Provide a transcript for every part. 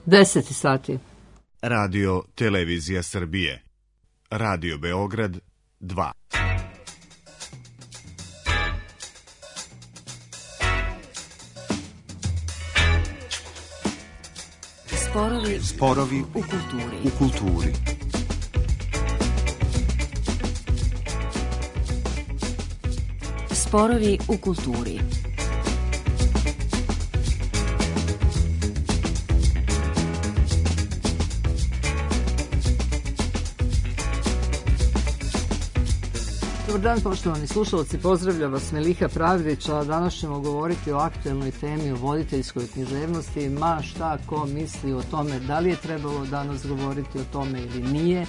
10 sati. Radio Televizija Srbije. Radio Beograd 2. Sporovi u kulturi. Sporovi u kulturi. Dobar dan, poštovani slušalci, pozdravlja vas Meliha Pravdić, a danas ćemo govoriti o aktuelnoj temi, o voditeljskoj književnosti, ma šta ko misli o tome, da li je trebalo danas govoriti o tome ili nije.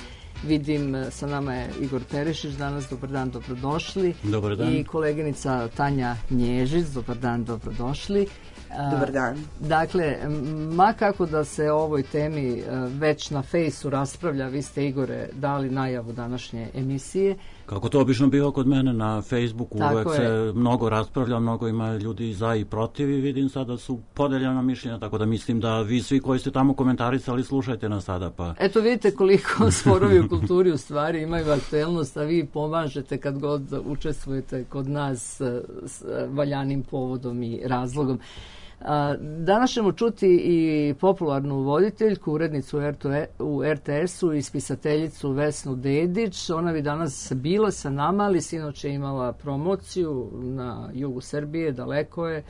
Vidim, sa nama je Igor Perišić danas, dobar dan, dobrodošli. Dobar dan. I koleginica Tanja Nježić, dobar dan, dobrodošli. Dobar dan. Dakle, ma kako da se o ovoj temi već na fejsu raspravlja, vi ste, Igore, dali najavu današnje emisije. Kako to obično biva kod mene na Facebooku, uvek se mnogo raspravlja, mnogo ima ljudi za i protiv i vidim sada su podeljena mišljenja, tako da mislim da vi svi koji ste tamo komentarisali slušajte nas sada. Pa. Eto vidite koliko sporovi u kulturi u stvari imaju aktuelnost, a vi pomažete kad god učestvujete kod nas s valjanim povodom i razlogom. Danas ćemo čuti i popularnu voditeljku, urednicu u RTS-u i spisateljicu Vesnu Dedić. Ona bi danas bila sa nama, ali sinoć je imala promociju na jugu Srbije, daleko je.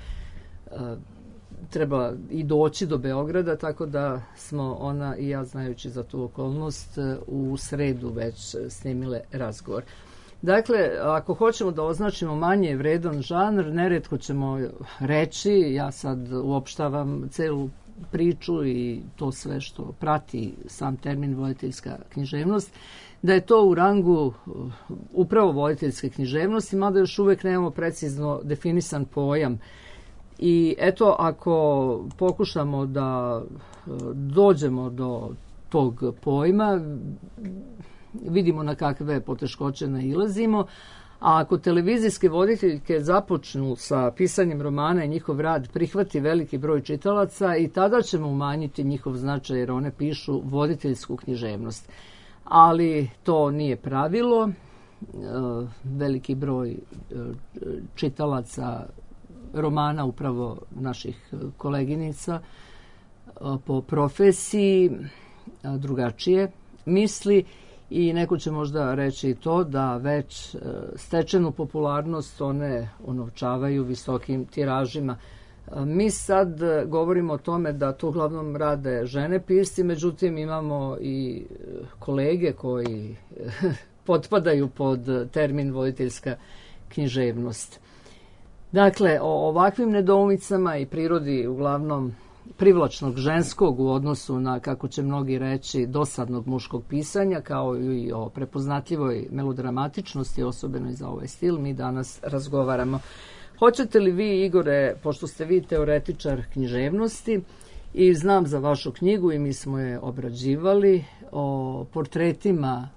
Treba i doći do Beograda, tako da smo ona i ja, znajući za tu okolnost, u sredu već snimile razgovor. Dakle, ako hoćemo da označimo manje vredan žanr, neretko ćemo reći, ja sad uopštavam celu priču i to sve što prati sam termin voditeljska književnost, da je to u rangu upravo voditeljske književnosti, mada još uvek nemamo precizno definisan pojam. I eto, ako pokušamo da dođemo do tog pojma, vidimo na kakve poteškoće nailazimo, a ako televizijske voditeljke započnu sa pisanjem romana i njihov rad prihvati veliki broj čitalaca, i tada ćemo umanjiti njihov značaj jer one pišu voditeljsku književnost. Ali to nije pravilo. Veliki broj čitalaca romana upravo naših koleginica po profesiji drugačije misli. I neko će možda reći i to da već stečenu popularnost one unovčavaju visokim tiražima. Mi sad govorimo o tome da to uglavnom rade žene pisci, međutim imamo i kolege koji potpadaju pod termin voditeljska književnost. Dakle, o ovakvim nedoumicama i prirodi uglavnom privlačnog ženskog u odnosu na, kako će mnogi reći, dosadnog muškog pisanja, kao i o prepoznatljivoj melodramatičnosti, osobeno i za ovaj stil, mi danas razgovaramo. Hoćete li vi, Igore, pošto ste vi teoretičar književnosti i znam za vašu knjigu i mi smo je obrađivali, o portretima,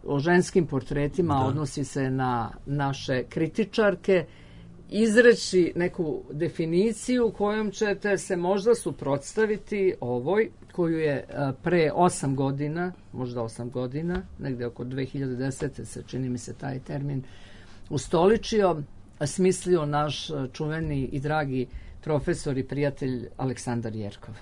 o ženskim portretima, odnosi se na naše kritičarke, izreći neku definiciju kojom ćete se možda suprotstaviti ovoj, koju je pre 8 godina, možda 8 godina, negde oko 2010. se, čini mi se, taj termin ustoličio, smislio naš čuveni i dragi profesor i prijatelj Aleksandar Jerkov.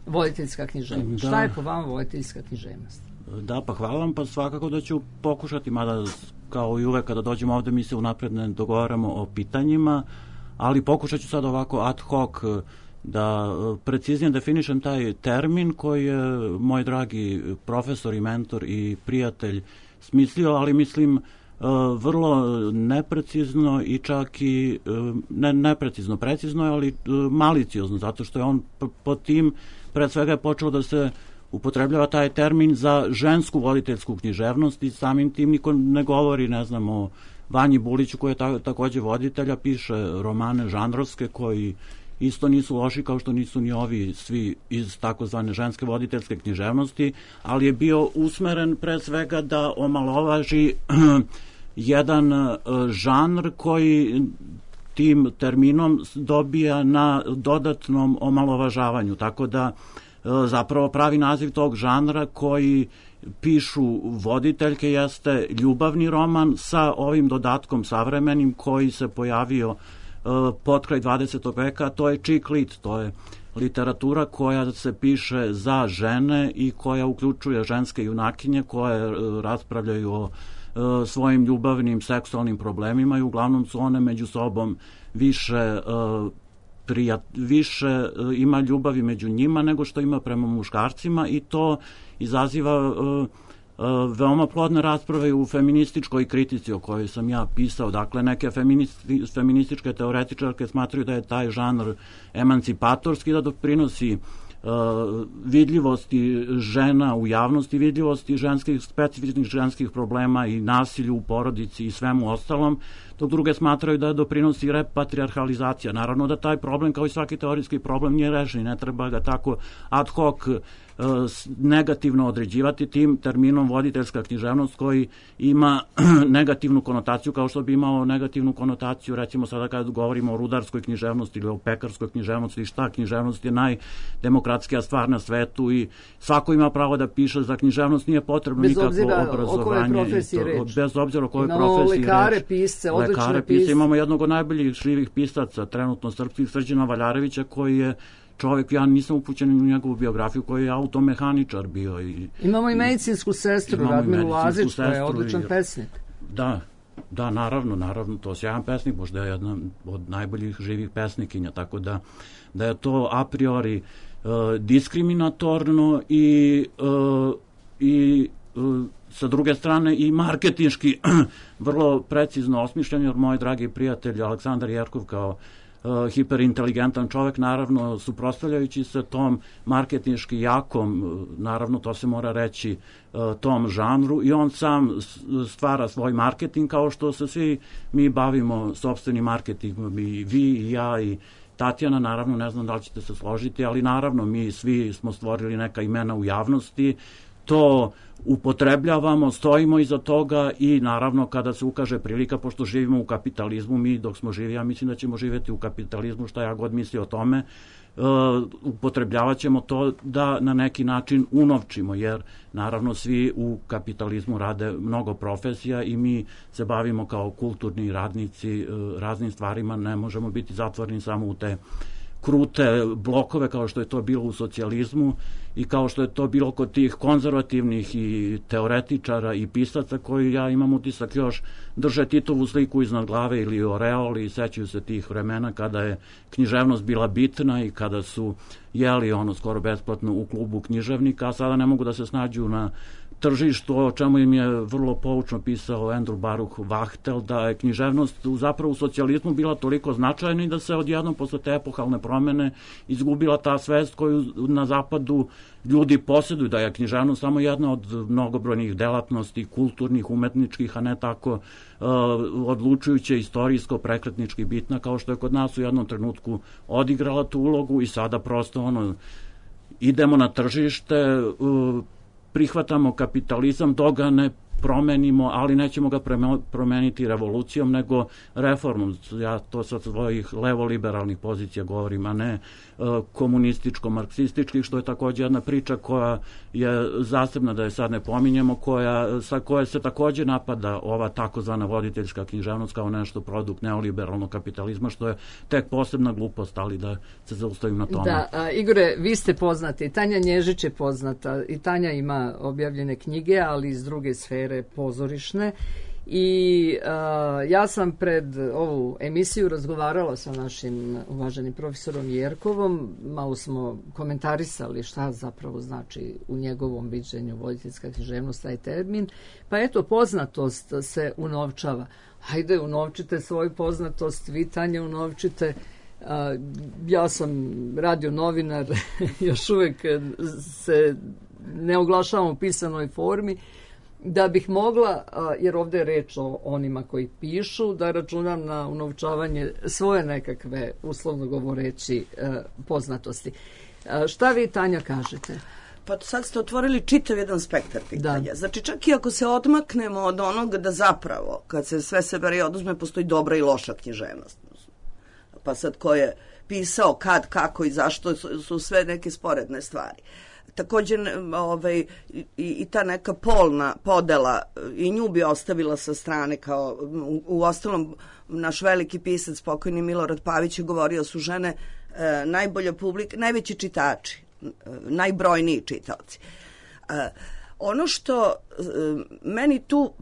Voditeljska književnost. Šta je po vama voditeljska književnost? Da, pa hvala vam, pa svakako da ću pokušati, mada kao i uvek kada dođemo ovde mi se unapred ne dogovaramo o pitanjima, ali pokušat ću sad ovako ad hoc da preciznije definišem taj termin koji je moj dragi profesor i mentor i prijatelj smislio, ali mislim vrlo neprecizno i čak i ne neprecizno, precizno je, ali maliciozno, zato što je on pod tim pred svega je počelo da se upotrebljava taj termin za žensku voditeljsku književnost i samim tim niko ne govori, ne znam, o Vanji Buliću koji je takođe voditelja, piše romane žanrovske koji isto nisu loši kao što nisu ni ovi svi iz takozvane ženske voditeljske književnosti, ali je bio usmeren pre svega da omalovaži jedan žanr koji tim terminom dobija na dodatnom omalovažavanju, tako da zapravo pravi naziv tog žanra koji pišu voditeljke jeste ljubavni roman sa ovim dodatkom savremenim koji se pojavio potkraj 20. veka, to je chick lit, to je literatura koja se piše za žene i koja uključuje ženske junakinje koje raspravljaju o svojim ljubavnim seksualnim problemima i uglavnom su one među sobom više ima ljubavi među njima nego što ima prema muškarcima i to izaziva veoma plodne rasprave u feminističkoj kritici o kojoj sam ja pisao. Dakle, neke feminističke teoretičarke smatraju da je taj žanr emancipatorski, da doprinosi vidljivosti žena u javnosti, vidljivosti specifičnih ženskih problema i nasilju u porodici i svemu ostalom, dok druge smatraju da doprinosi repatrijarhalizacija. Naravno da taj problem, kao i svaki teorijski problem, nije rešen, ne treba ga tako ad hoc negativno određivati tim terminom voditeljska književnost koji ima negativnu konotaciju kao što bi imao negativnu konotaciju recimo sada kad govorimo o rudarskoj književnosti ili o pekarskoj književnosti, šta književnost je najdemokratskija stvar na svetu i svako ima pravo da piše za književnost, nije potrebno nikakvo obrazovanje bez obzira o kojoj profesiji lekare, pisce, odlične pisce. Imamo jednog od najboljih živih pisaca trenutno srpskih, Srđana Valjarevića, koji je čovjek, ja nisam upućen u njegovu biografiju, koji je automehaničar bio. Imamo i medicinsku sestru, Radmilu Lazić, koja je odličan pesnik. Da, naravno, to je sjajan pesnik, možda je jedna od najboljih živih pesnikinja, tako da je to a priori diskriminatorno i sa druge strane i marketinški vrlo precizno osmišljen, jer moj dragi prijatelj Aleksandar Jerkov kao hiperinteligentan čovek, naravno suprotstavljajući se tom marketinški jakom, naravno to se mora reći, tom žanru, i on sam stvara svoj marketing kao što se svi mi bavimo sopstvenim marketingom, i vi i ja i Tatjana, naravno, ne znam da li ćete se složiti, ali naravno mi svi smo stvorili neka imena u javnosti, to upotrebljavamo, stojimo iza toga i naravno kada se ukaže prilika, pošto živimo u kapitalizmu, mi dok smo živi, ja mislim da ćemo živjeti u kapitalizmu, šta ja god misli o tome, upotrebljavat ćemo to da na neki način unovčimo, jer naravno svi u kapitalizmu rade mnogo profesija i mi se bavimo kao kulturni radnici raznim stvarima, ne možemo biti zatvoreni samo u te krute blokove kao što je to bilo u socijalizmu i kao što je to bilo kod tih konzervativnih i teoretičara i pisaca koji, ja imam utisak, još drže Titovu sliku iznad glave ili oreoli i sećaju se tih vremena kada je književnost bila bitna i kada su jeli ono skoro besplatno u klubu književnika, a sada ne mogu da se snađu na tržištu, o čemu im je vrlo poučno pisao Andrew Baruch Wachtel, da je književnost zapravo u socijalizmu bila toliko značajna i da se odjednom posle te epohalne promene izgubila ta svest koju na zapadu ljudi posjeduju, da je književnost samo jedna od mnogobrojnih delatnosti, kulturnih, umetničkih, a ne tako odlučujuće, istorijsko, prekretnički bitna, kao što je kod nas u jednom trenutku odigrala tu ulogu i sada prosto idemo na tržište, prihvatamo kapitalizam, dok ga ne promenimo, ali nećemo ga promeniti revolucijom, nego reformom. Ja to sa svojih levo-liberalnih pozicija govorim, a ne komunističko-marksističkih, što je takođe jedna priča koja je zasebna, da je sad ne pominjemo, sa koje se takođe napada ova takozvana voditeljska književnost kao nešto produkt neoliberalnog kapitalizma, što je tek posebna glupost, ali da se zaustavim na tome. Da, Igore, vi ste poznati, Tanja Nježić je poznata i Tanja ima objavljene knjige, ali iz druge sfere pozorišne. I ja sam pred ovu emisiju razgovarala sa našim uvaženim profesorom Jerkovom, malo smo komentarisali šta zapravo znači u njegovom viđenju voditeljska književnost, taj termin, pa eto, poznatost se unovčava. Hajde, unovčite svoju poznatost, vi, Tanja, unovčite. Ja sam radio novinar, još uvek se ne oglašavam u pisanoj formi, da bih mogla, jer ovdje je reč o onima koji pišu, da računam na unovčavanje svoje nekakve, uslovno govoreći, poznatosti. Šta vi, Tanja, kažete? Pa sad ste otvorili čitav jedan spektar pitanja. Da. Znači, čak i ako se odmaknemo od onoga da zapravo, kad se sve sebere i oduzme, postoji dobra i loša književnost. pa sad ko je pisao, kad, kako i zašto su sve neke sporedne stvari. Također i ta neka polna podela i nju bi ostavila sa strane, kao u ostalom naš veliki pisac pokojni Milorad Pavić je govorio su žene najbolja publika, najveći čitači, najbrojniji čitaoci. Ono što meni tu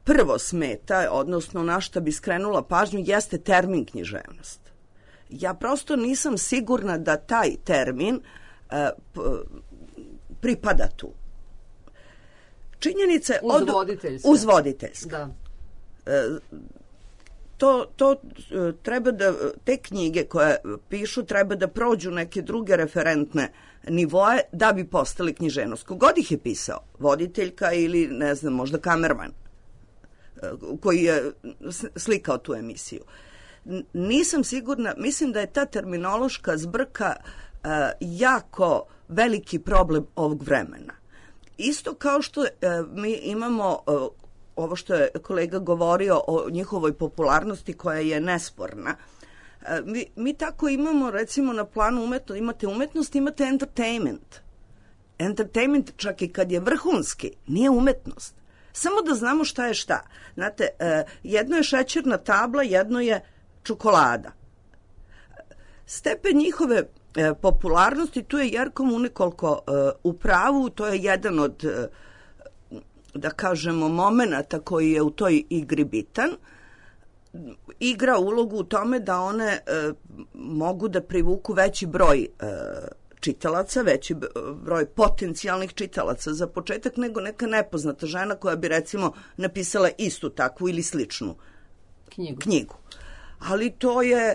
prvo smeta, odnosno na šta bi skrenula pažnju, jeste termin književnost. Ja prosto nisam sigurna da taj termin pripada tu. Činjenica je uzvoditeljska. Da. To treba da, te knjige koje pišu treba da prođu neke druge referentne nivoe da bi postali književnost. Kogod ih je pisao, voditeljka ili ne znam, možda kamerman koji je slikao tu emisiju. Nisam sigurna, mislim da je ta terminološka zbrka jako veliki problem ovog vremena. Isto kao što mi imamo ovo što je kolega govorio o njihovoj popularnosti koja je nesporna. Mi tako imamo, recimo, na planu umetnosti, imate umetnost, imate entertainment. Entertainment, čak i kad je vrhunski, nije umetnost. Samo da znamo šta je šta. Znate, jedno je šećerna tabla, jedno je čokolada. Stepen njihove popularnosti, tu je Jerko Munekoliko u pravu, to je jedan od, da kažemo, momenata koji je u toj igri bitan. Igra ulogu u tome da one mogu da privuku veći broj čitalaca, veći broj potencijalnih čitalaca za početak nego neka nepoznata žena koja bi recimo napisala istu takvu ili sličnu knjigu. Ali to je,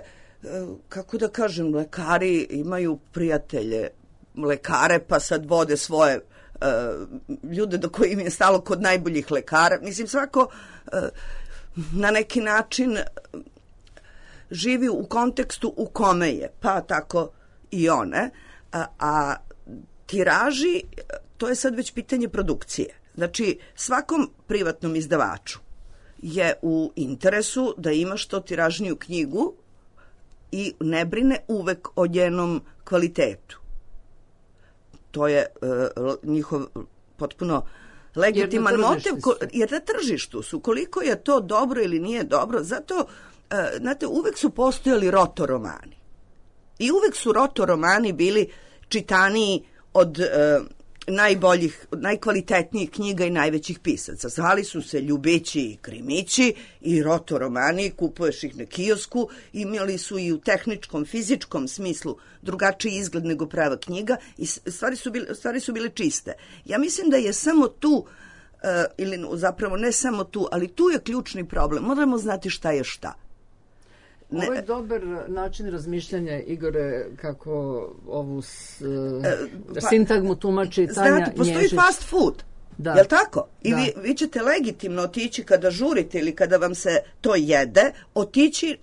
kako da kažem, lekari imaju prijatelje lekare pa sad vode svoje ljude do kojim je stalo kod najboljih lekara. Mislim, svako na neki način živi u kontekstu u kome je, pa tako i one. A tiraži, to je sad već pitanje produkcije. Znači, svakom privatnom izdavaču je u interesu da ima što tiražniju knjigu i ne brine uvek o njenom kvalitetu. To je njihov potpuno legitiman motiv, jer na tržištu su. Koliko je to dobro ili nije dobro, zato, znate, uvek su postojali rotoromani. I uvek su rotoromani bili čitaniji od najboljih, najkvalitetnijih knjiga i najvećih pisaca. Zvali su se Ljubići i Krimići i rotoromani, kupuješ ih na kiosku, imali su i u tehničkom, fizičkom smislu drugačiji izgled nego prava knjiga i stvari su bile čiste. Ja mislim da je samo tu, ili zapravo ne samo tu, ali tu je ključni problem. Moramo znati šta je šta. Ovo je dobar način razmišljanja, Igore, kako ovu sintagmu tumači Tanja Nježić. Znate, postoji fast food, je li tako? I vi ćete legitimno otići kada žurite ili kada vam se to jede, otići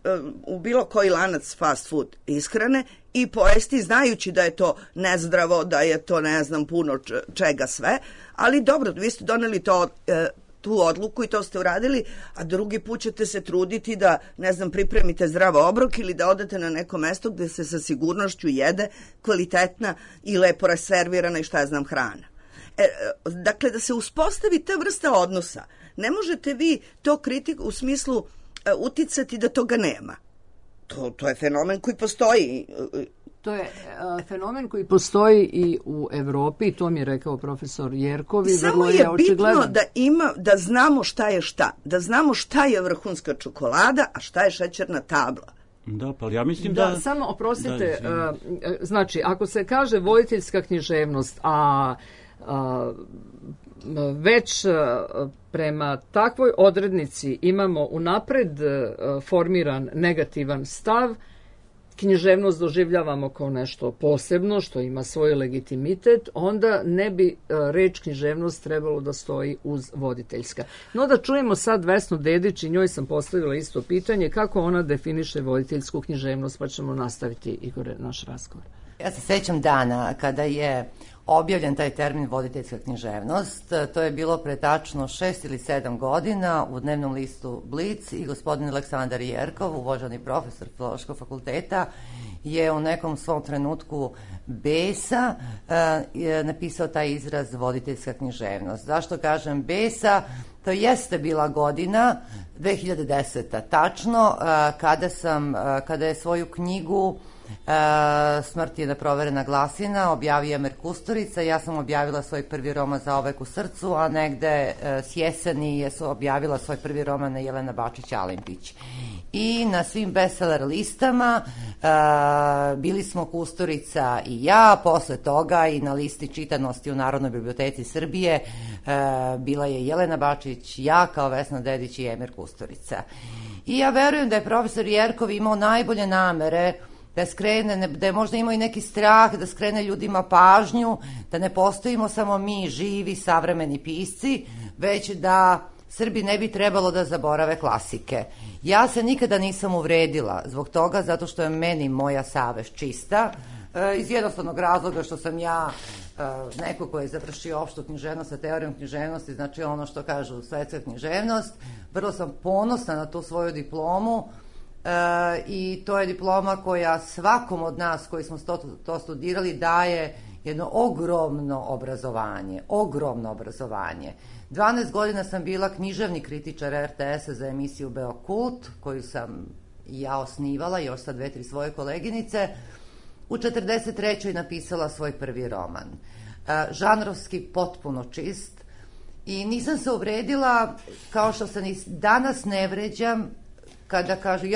u bilo koji lanac fast food ishrane i pojesti znajući da je to nezdravo, da je to ne znam puno čega sve, ali dobro, vi ste doneli to tu odluku i to ste uradili, a drugi put ćete se truditi da, ne znam, pripremite zdrav obrok ili da odete na neko mesto gde se sa sigurnošću jede kvalitetna i lepo reservirana i šta ja znam hrana. Dakle, da se uspostavi ta vrsta odnosa. Ne možete vi to kritiku u smislu uticati da toga nema. To je fenomen koji postoji. To je fenomen koji postoji i u Evropi, i to mi je rekao profesor Jerkovi. Samo je bitno da znamo šta je šta. Da znamo šta je vrhunska čokolada, a šta je šećerna tabla. Da, pa ja mislim da... Samo, oprostite, znači, ako se kaže voditeljska književnost, a već prema takvoj odrednici imamo unapred formiran negativan stav, književnost doživljavamo kao nešto posebno, što ima svoj legitimitet, onda ne bi reč književnost trebalo da stoji uz voditeljska. No da čujemo sad Vesnu Dedić, i njoj sam postavila isto pitanje, kako ona definiše voditeljsku književnost, pa ćemo nastaviti, Igore, naš razgovor. Ja se sećam dana kada je objavljen taj termin voditeljska književnost. To je bilo pre tačno 6 ili 7 godina u dnevnom listu Blic i gospodin Aleksandar Jerkov, uvaženi profesor Filološkog fakulteta, je u nekom svom trenutku besa napisao taj izraz voditeljska književnost. Zašto kažem besa? To jeste bila godina 2010. tačno, kada je svoju knjigu Smrt je neproverena glasina objavio Emir Kusturica. Ja sam objavila svoj prvi roman Zauvek u srcu, a negde s jeseni je objavila svoj prvi roman Jelena Bačić-Alimpić. I na svim bestseller listama bili smo Kusturica i ja, posle toga i na listi čitanosti u Narodnoj biblioteci Srbije bila je Jelena Bačić, ja kao Vesna Dedić i Emir Kusturica. I ja verujem da je profesor Jerkov imao najbolje namere da skrene, da je možda imao i neki strah da skrene ljudima pažnju, da ne postojimo samo mi živi savremeni pisci, već da Srbi ne bi trebalo da zaborave klasike. Ja se nikada nisam uvredila zbog toga, zato što je meni moja savest čista, iz jednostavnog razloga što sam ja neko ko je završio opštu književnost sa teorijom književnosti, znači ono što kažu svetska književnost. Vrlo sam ponosna na tu svoju diplomu i to je diploma koja svakom od nas koji smo to studirali daje jedno ogromno obrazovanje. 12 godina sam bila književni kritičar RTS-a za emisiju Beokult, koju sam ja osnivala, još sa 2-3 svoje koleginice. U 43. napisala svoj prvi roman. Žanrovski potpuno čist i nisam se uvredila, kao što se danas ne vređam kada kažu,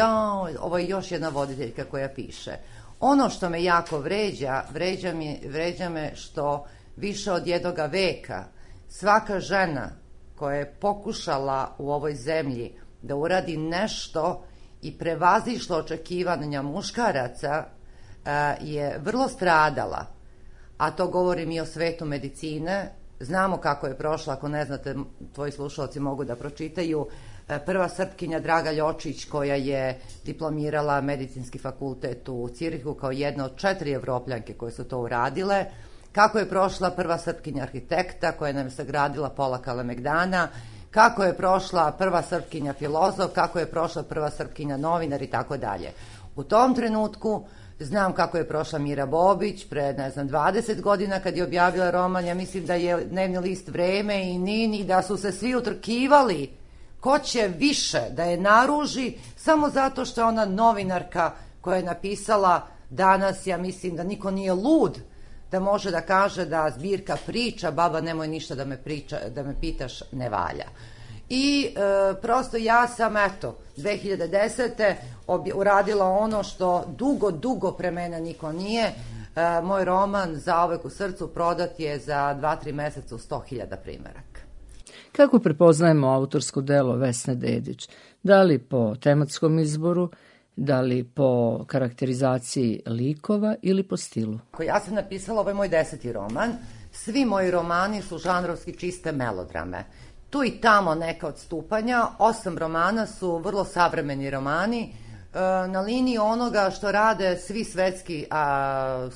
ovo je još jedna voditeljka koja piše. Ono što me jako vređa me što više od 1 veka svaka žena koja je pokušala u ovoj zemlji da uradi nešto i prevazišla očekivanja muškaraca je vrlo stradala, a to govorim i o svetu medicine. Znamo kako je prošla, ako ne znate, tvoji slušalci mogu da pročitaju. Prva Srpkinja Draga Ljočić, koja je diplomirala medicinski fakultet u Cirihu kao jedna od 4 Evropljanke koje su to uradile. Kako je prošla prva Srpkinja arhitekta koja nam je sagradila pola Kalemegdana, kako je prošla prva Srpkinja filozof, kako je prošla prva Srpkinja novinar i tako dalje. U tom trenutku znam kako je prošla Mira Bobić pre, 20 godina kad je objavila roman. Ja mislim da je dnevni list Vreme i Nini, da su se svi utrkivali ko će više da je naruži samo zato što je ona novinarka koja je napisala. Danas ja mislim da niko nije lud da može da kaže da zbirka priča Baba nemoj ništa da me pitaš ne valja. I prosto ja sam 2010. uradila ono što dugo pre mene niko nije. Moj roman Zauvek u srcu prodat je za 2-3 meseca u 100.000 primeraka. Kako prepoznajemo autorsko delo Vesne Dedić? Da li po tematskom izboru, da li po karakterizaciji likova ili po stilu? Ja sam napisala, ovo je moj 10. roman. Svi moji romani su žanrovski čiste melodrame. Tu i tamo neka odstupanja. 8 romana su vrlo savremeni romani, na liniji onoga što rade svi svetski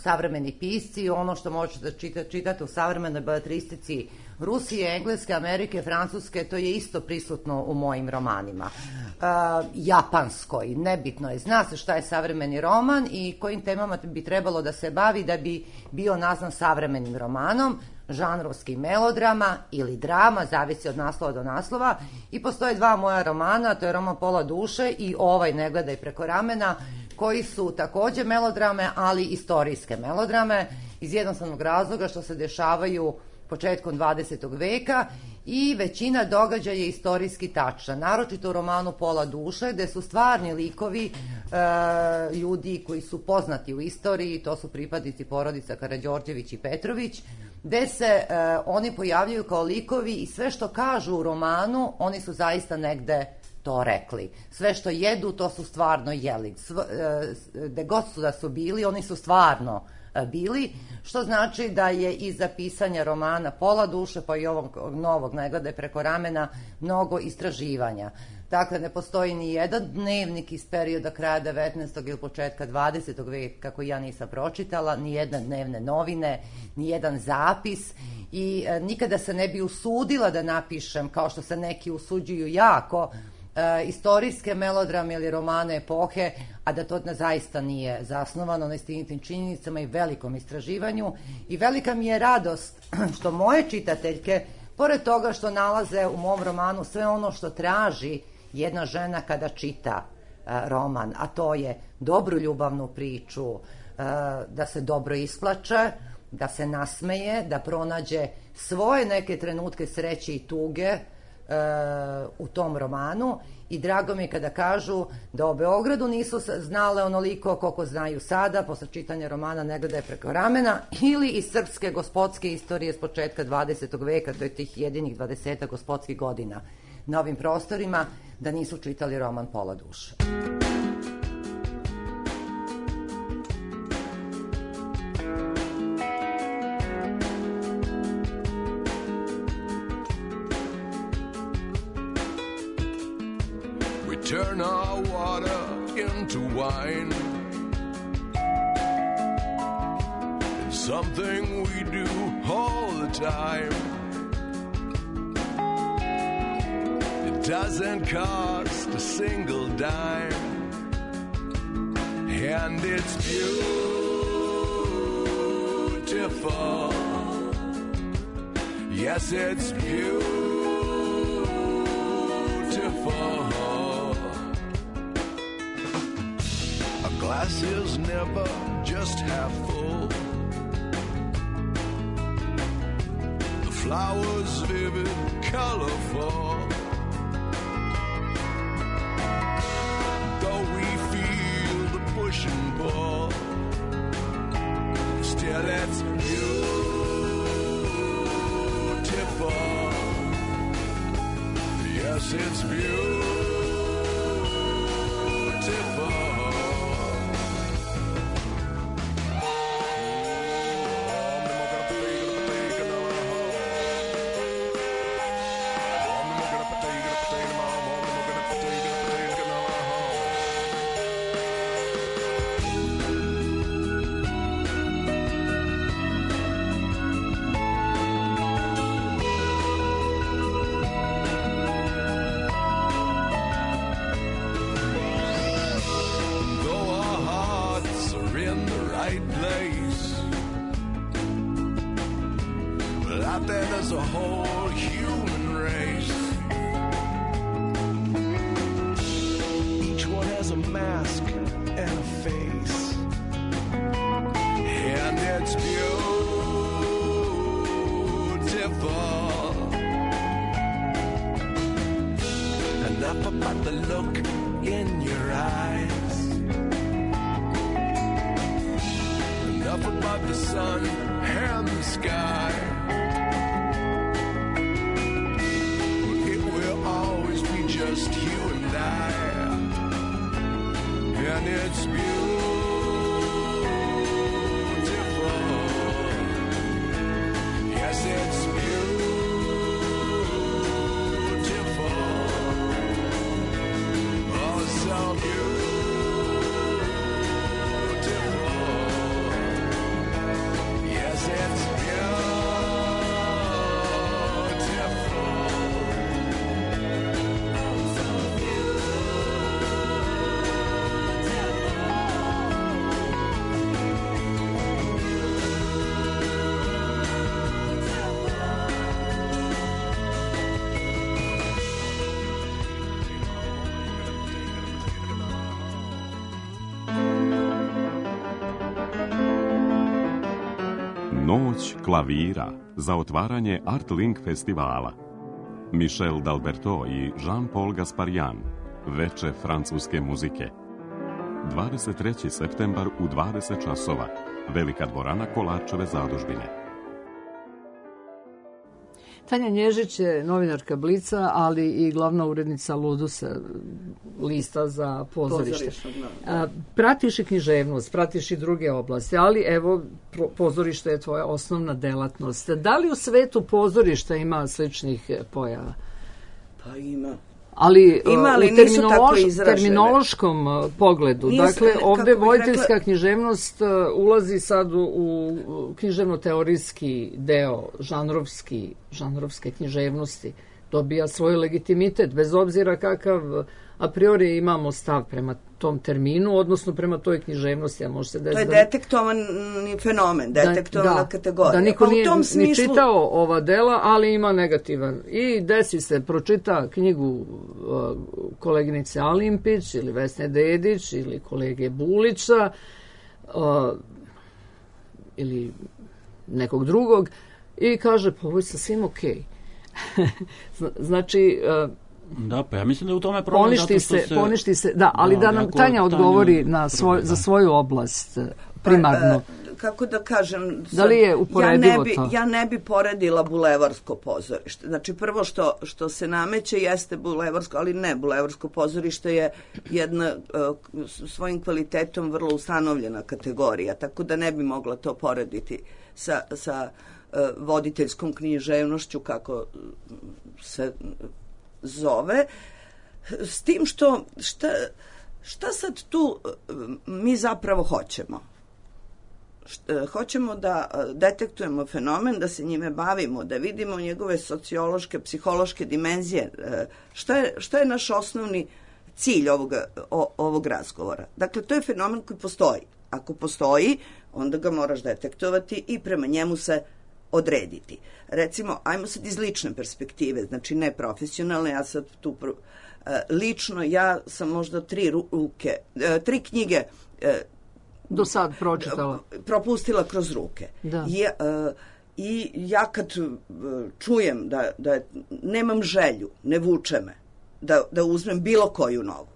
savremeni pisci, ono što možete čitati u savremenoj beletristici Rusije, Engleske, Amerike, Francuske, to je isto prisutno u mojim romanima. Japanskoj, nebitno je, zna se šta je savremeni roman i kojim temama bi trebalo da se bavi da bi bio nazvan savremenim romanom, žanrovski melodrama ili drama, zavisi od naslova do naslova. I postoje 2 moja romana, to je roman Pola duše i ovaj Ne gledaj preko ramena, koji su takođe melodrame, ali istorijske melodrame, iz jednostavnog razloga što se dešavaju početkom 20. veka i većina događaja je istorijski tačna, naročito u romanu Pola duše, gde su stvarni likovi ljudi koji su poznati u istoriji, to su pripadnici porodica Karađorđević i Petrović, gde se oni pojavljaju kao likovi i sve što kažu u romanu, oni su zaista negde to rekli. Sve što jedu, to su stvarno jeli. Gde god su da su bili, oni su stvarno bili, što znači da je iza pisanja romana Pola duše, pa i ovog novog Ne gledaj preko ramena, mnogo istraživanja. Dakle, ne postoji ni jedan dnevnik iz perioda kraja 19. ili početka 20. veka koji ja nisam pročitala, ni jedne dnevne novine, ni jedan zapis i nikada se ne bi usudila da napišem, kao što se neki usuđuju jako, istorijske melodrame ili romane epohe, a da to zaista nije zasnovano na istinitim činjenicama i velikom istraživanju. I velika mi je radost što moje čitateljke, pored toga što nalaze u mom romanu sve ono što traži jedna žena kada čita roman, a to je dobru ljubavnu priču, da se dobro isplače, da se nasmeje, da pronađe svoje neke trenutke sreće i tuge u tom romanu. I drago mi je kada kažu da o Beogradu nisu znale onoliko koliko znaju sada, posle čitanja romana Ne gledaj preko ramena, ili iz srpske gospodske istorije s početka 20. veka, to je tih jedinih 20 gospodskih godina na ovim prostorima, da nisu čitali roman Pola duše. Turn our water into wine. It's something we do all the time. It doesn't cost a single dime, and it's beautiful. Yes, it's beautiful. Glass is never just half full. The flowers vivid, colorful. Though we feel the push and pull, still it's beautiful. Yes, it's beautiful. There's a whole human race. Each one has a mask and a face, and it's beautiful. Enough about the look in your eyes, enough about the sun and the sky. Just you and I, and it's beautiful. Yes, it's beautiful. Oh, so beautiful. Yes, it's beautiful. Noć klavira za otvaranje Art Link festivala. Michel D'Alberto i Jean-Paul Gasparian. Veče francuske muzike. 23. septembar u 20 časova. Velika dvorana Kolarčeve zadužbine. Tanja Nježić je novinarka Blica, ali i glavna urednica Ludusa, lista za pozorište. Pratiš i književnost, pratiš i druge oblasti, ali evo, pozorište je tvoja osnovna delatnost. Da li u svetu pozorišta ima sličnih pojava? Pa ima. Ali u terminološkom pogledu, dakle, ovde voditeljska književnost ulazi sad u književno-teorijski deo, žanrovske književnosti, dobija svoj legitimitet, bez obzira kakav a priori imamo stav prema tom terminu, odnosno prema toj književnosti. A može se to je detektovani fenomen, detektovana kategorija. Da niko nije ni čitao ova dela, ali ima negativan. I desi se, pročita knjigu koleginice Alimpić ili Vesne Dedić ili kolege Bulića ili nekog drugog i kaže, pa ovo je sasvim okej. Znači... Da, pa ja mislim da je u tome problem poništi se, da, ali da nam Tanja odgovori za svoju oblast primarno. Kako da kažem, da li je uporedivo to? Ja ne bi poredila bulevarsko pozorište. Znači, prvo što se nameće jeste bulevarsko, ali ne, bulevarsko pozorište je jedna svojim kvalitetom vrlo ustanovljena kategorija, tako da ne bi mogla to porediti sa voditeljskom književnošću, kako se zove, s tim šta sad tu mi zapravo hoćemo? Hoćemo da detektujemo fenomen, da se njime bavimo, da vidimo njegove sociološke, psihološke dimenzije. Šta je naš osnovni cilj ovog razgovora? Dakle, to je fenomen koji postoji. Ako postoji, onda ga moraš detektovati i prema njemu se odrediti. Recimo, ajmo sad iz lične perspektive, znači ne profesionalne, ja sad tu lično, ja sam možda 3 knjige do sad pročitala. Propustila kroz ruke. Da. I ja kad čujem da nemam želju, ne vuče me, da uzmem bilo koju novu.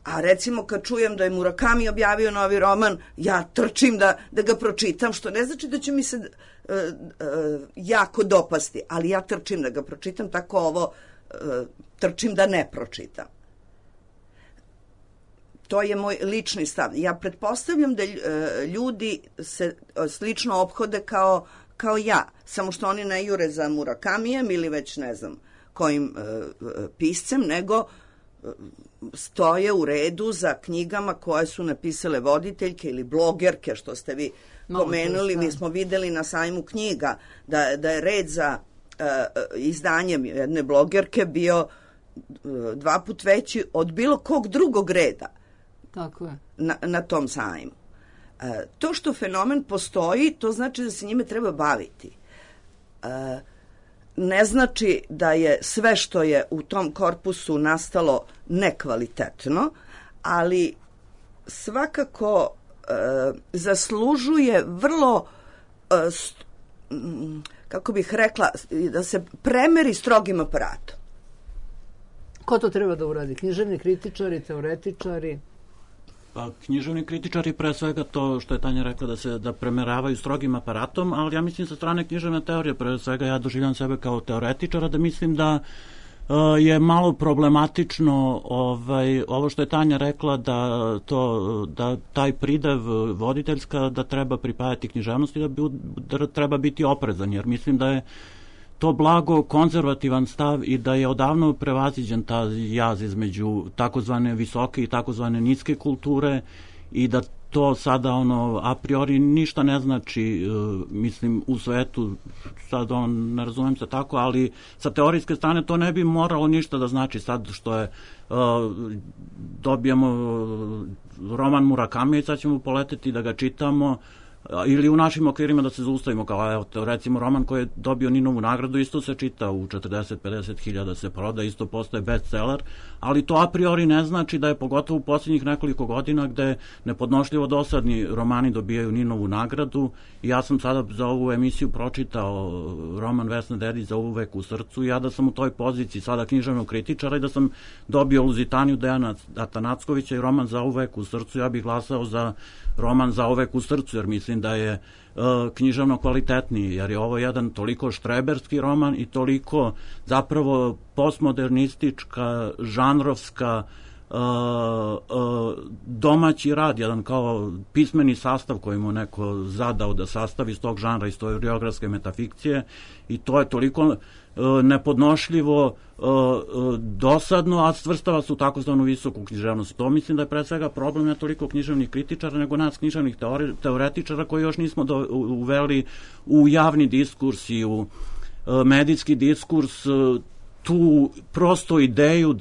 A recimo kad čujem da je Murakami objavio novi roman, ja trčim da ga pročitam, što ne znači da će mi se jako dopasti, ali ja trčim da ga pročitam, tako ovo trčim da ne pročitam. To je moj lični stav. Ja pretpostavljam da ljudi se slično ophode kao ja, samo što oni ne jure za Murakamijem ili već ne znam kojim piscem, nego stoje u redu za knjigama koje su napisale voditeljke ili blogerke, što ste vi pomenuli. Mi smo videli na sajmu knjiga da je red za izdanjem jedne blogerke bio 2 put veći od bilo kog drugog reda. Tako je. Na tom sajmu. To što fenomen postoji, to znači da se njime treba baviti. Ne znači da je sve što je u tom korpusu nastalo nekvalitetno, ali svakako zaslužuje vrlo, kako bih rekla, da se premeri strogim aparatom. Ko to treba da uradi? Književni kritičari, teoretičari? Pa, književni kritičari pre svega to što je Tanja rekla da premeravaju strogim aparatom, ali ja mislim sa strane književne teorije, pre svega ja doživljam sebe kao teoretičara, da mislim da je malo problematično ovo što je Tanja rekla da taj pridev voditeljska da treba pripajati književnosti, da treba biti oprezan, jer mislim da je to blago konzervativan stav i da je odavno prevaziđen ta jaz između takozvane visoke i takozvane niske kulture i da to sada a priori ništa ne znači, mislim, u svetu, sad ne razumem se tako, ali sa teorijske strane to ne bi moralo ništa da znači sad što je dobijemo roman Murakami i sad ćemo poleteti da ga čitamo, ili u našim okvirima da se zaustavimo, kao evo, recimo roman koji je dobio Ninovu nagradu isto se čita u 40-50 hiljada se proda, isto postaje bestseller, ali to a priori ne znači da je pogotovo u posljednjih nekoliko godina gde nepodnošljivo dosadni romani dobijaju Ninovu nagradu i ja sam sada za ovu emisiju pročitao roman Vesne Dedić Za uvek u srcu i ja da sam u toj poziciji sada književnog kritičara i da sam dobio Luzitaniju Dejana Atanackovića i roman Za uvek u srcu, ja bih glasao za roman Za uvek u srcu, jer mislim da je književno kvalitetniji, jer je ovo jedan toliko štreberski roman i toliko zapravo postmodernistička, žanrovska domaći rad, jedan kao pismeni sastav koji mu neko zadao da sastavi iz tog žanra istoriografske metafikcije, i to je toliko nepodnošljivo, dosadno, a svrstava se u takozvanu visoku književnost. To mislim da je pre svega problem ne toliko književnih kritičara, nego nas književnih teoretičara koji još nismo uveli u javni diskurs i u medijski diskurs tu prosto ideju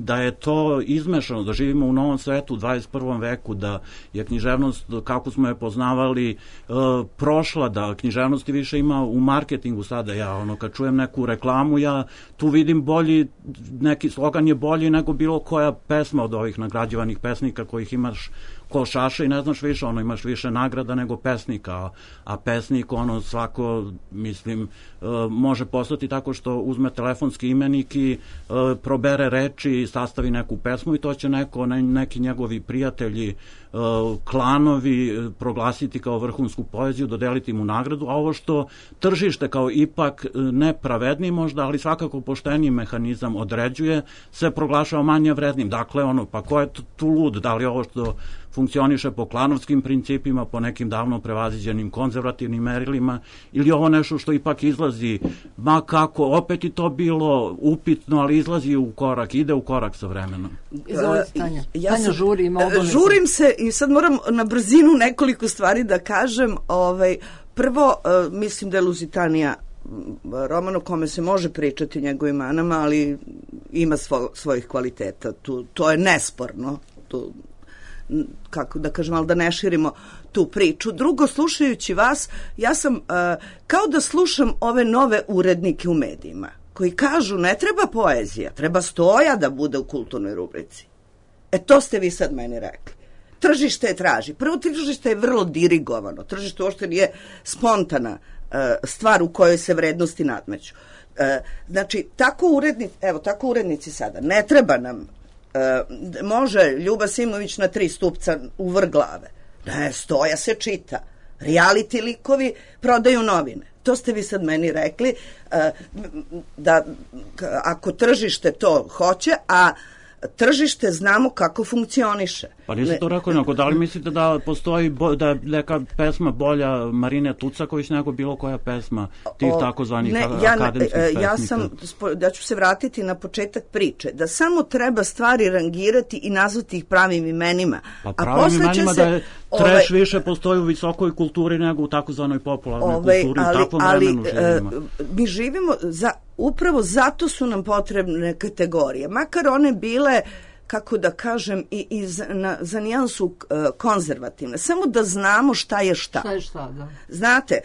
da je to izmešano, da živimo u novom svetu u 21. veku, da je književnost, kako smo je poznavali, prošla, da književnosti više ima u marketingu sada. Ja, kad čujem neku reklamu, ja tu vidim bolji, neki slogan je bolji nego bilo koja pesma od ovih nagrađivanih pesnika kojih imaš ko šaše i ne znaš više, imaš više nagrada nego pesnika, a pesnik, svako, mislim, može postati tako što uzme telefonski imenik i probere reči, sastavi neku pesmu i to će neki njegovi prijatelji, klanovi proglasiti kao vrhunsku poeziju, dodeliti mu nagradu, a ovo što tržište kao ipak nepravedniji možda, ali svakako pošteniji mehanizam određuje, se proglašava manje vrednim. Dakle, pa ko je tu lud? Da li ovo što funkcioniše po klanovskim principima, po nekim davno prevaziđenim konzervativnim merilima, ili ovo nešto što ipak izlazi, ma kako, opet i to bilo upitno, ali izlazi u korak, ide u korak sa vremenom. Izvolite, Tanja. Tanja žuri, ima obavezu. Žurim se i sad moram na brzinu nekoliko stvari da kažem. Prvo, mislim da je Luzitanija roman o kome se može pričati njegovim manama, ali ima svojih kvaliteta. To je nesporno. Kako da kažem, ali da ne širimo tu priču. Drugo, slušajući vas, ja sam kao da slušam ove nove urednike u medijima, koji kažu ne treba poezija, treba Stoja da bude u kulturnoj rubrici. To ste vi sad meni rekli. Tržište je traži. Prvo, tržište je vrlo dirigovano. Tržište uopšte nije spontana stvar u kojoj se vrednosti nadmeću. Znači, tako urednici sada. Ne treba nam može Ljuba Simović na 3 stupca u vrh glave. Ne, Stoja se čita. Reality likovi prodaju novine. To ste vi sad meni rekli, da ako tržište to hoće, a tržište znamo kako funkcioniše. Pa nisam to rekao, nego da li mislite da postoji, da je neka pesma bolja Marine Tucaković nego bilo koja pesma tih takozvanih akademskih pesnika? Ja ću se vratiti na početak priče, da samo treba stvari rangirati i nazvati ih pravim imenima. Pa pravim imenima da je trash više postoji u visokoj kulturi nego u takozvanoj popularnoj kulturi, u takvom vremenu živimo. Mi živimo, upravo zato su nam potrebne kategorije, makar one bile, kako da kažem, za nijansu konzervativne. Samo da znamo šta je šta. Šta je šta, da. Znate,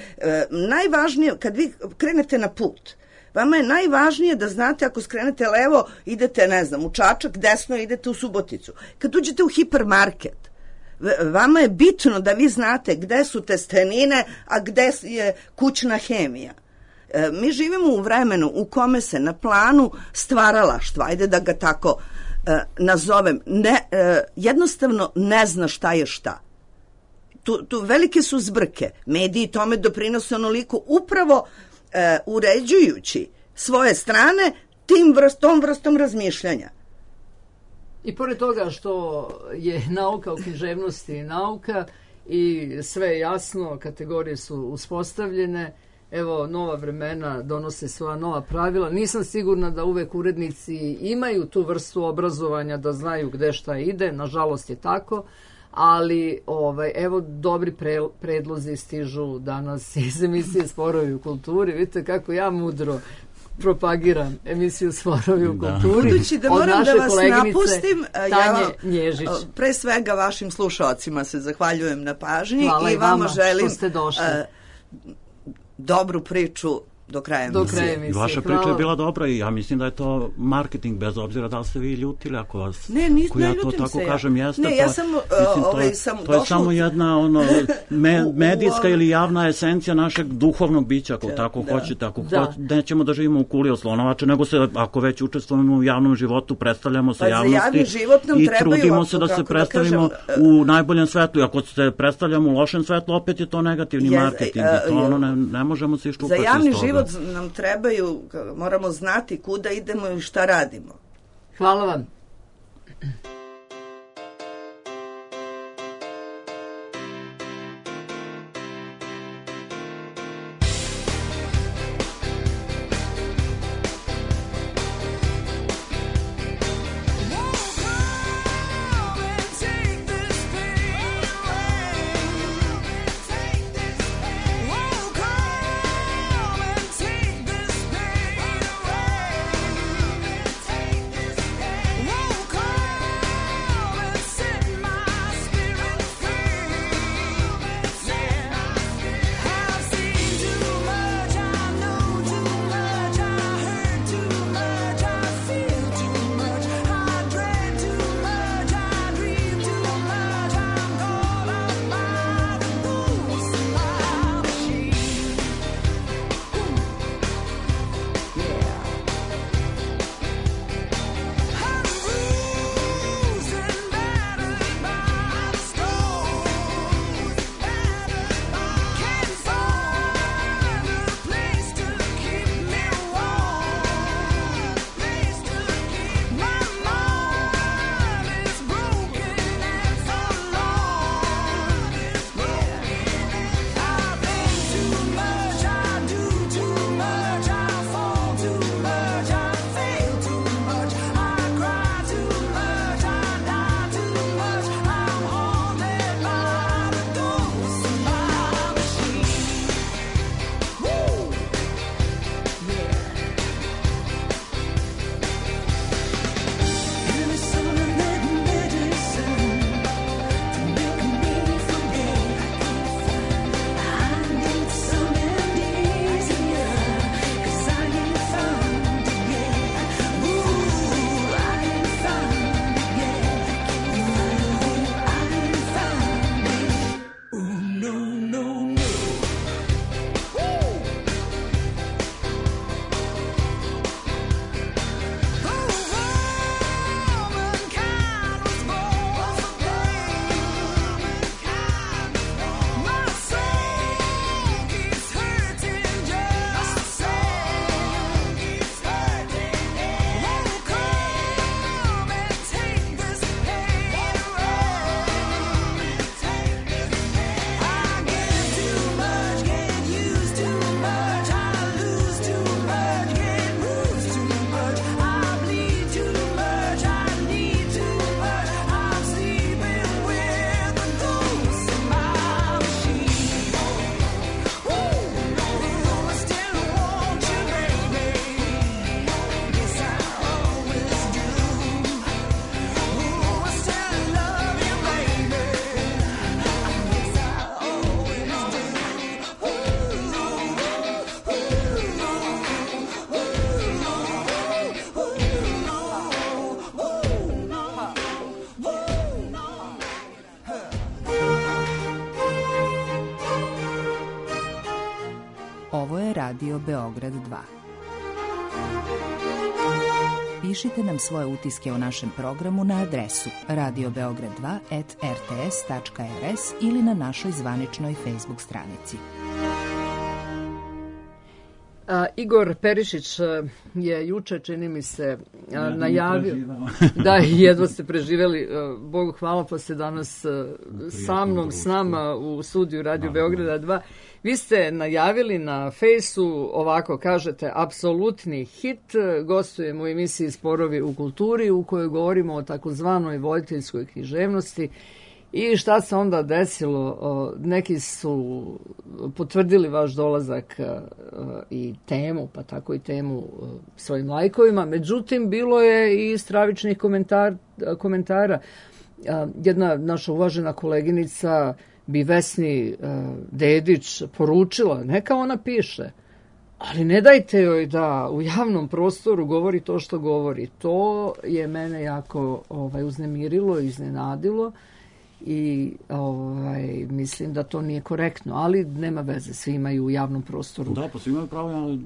najvažnije, kad vi krenete na put, vama je najvažnije da znate, ako skrenete levo, idete, ne znam, u Čačak, desno idete u Suboticu. Kad uđete u hipermarket, vama je bitno da vi znate gde su testenine, a gde je kućna hemija. Mi živimo u vremenu u kome se na planu stvaralaštva, ajde da ga tako nazovem, jednostavno ne zna šta je šta. Tu velike su zbrke. Mediji tome doprinose onoliko upravo uređujući svoje strane tom vrstom razmišljanja. I pored toga što je nauka u književnosti nauka i sve je jasno, kategorije su uspostavljene, evo, nova vremena donose svoja nova pravila. Nisam sigurna da uvek urednici imaju tu vrstu obrazovanja da znaju gde šta ide, nažalost je tako, ali evo, dobri predlozi stižu danas iz emisije Sporovi u kulturi. Vidite kako ja mudro propagiram emisiju Sporovi u kulturi. Budući da moram da vas napustim, Tanje Nježić. Pre svega vašim slušaocima se zahvaljujem na pažnji. Hvala i vama želim što ste došli. Dobru priču do kraja emisije. Vaša priča je bila dobra i ja mislim da je to marketing, bez obzira da li ste vi ljutili ako vas... Ne ljutim se kažem, jeste. Ne, ja sam to je samo jedna medijska ili javna esencija našeg duhovnog bića, ako tako hoćete. Ako nećemo da živimo u kuli od slonovače, nego se, ako već učestvujemo u javnom životu, predstavljamo se javnosti i trudimo se da se predstavimo u najboljem svetlu. I ako se predstavljamo u lošem svetlu, opet je to negativni marketing. Ne možemo se iščupati iz toga. Nam trebaju, moramo znati kuda idemo i šta radimo. Hvala vam. Ovo je Radio Beograd 2. Pišite nam svoje utiske o našem programu na adresu radiobeograd2@rts.rs ili na našoj zvaničnoj Facebook stranici. Igor Perišić je juče, čini mi se, najavio da jedva ste preživeli, Bogu hvala, pa ste danas sa mnom, s nama u studiju Radio Beograda 2. Vi ste najavili na Fejsu, ovako kažete, apsolutni hit, gostujemo u emisiji Sporovi u kulturi u kojoj govorimo o takozvanoj voditeljskoj književnosti. I šta se onda desilo? Neki su potvrdili vaš dolazak i temu, pa tako i temu svojim lajkovima. Međutim, bilo je i stravičnih komentara. Jedna naša uvažena koleginica bi Vesni Dedić poručila, neka ona piše, ali ne dajte joj da u javnom prostoru govori to što govori. To je mene jako uznemirilo i iznenadilo. I mislim da to nije korektno, ali nema veze, svi imaju u javnom prostoru pa svi imaju pravo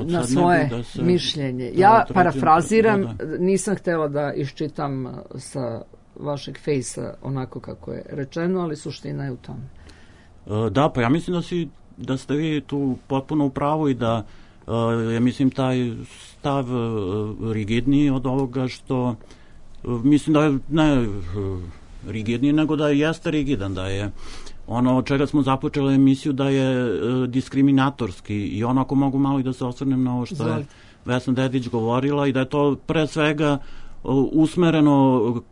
na svoje mišljenje. Ja parafraziram, nisam htjela da iščitam sa vašeg fejsa onako kako je rečeno, ali suština je u tome. Da, pa ja mislim da ste vi tu potpuno u pravu i da ja mislim taj stav rigidniji od ovoga što mislim da je ne rigidni, nego da jeste rigidan, da je ono od čega smo započeli emisiju da je diskriminatorski i ono ako mogu malo i da se osvrnem na ovo što je Vesna Dedić govorila i da je to pre svega usmereno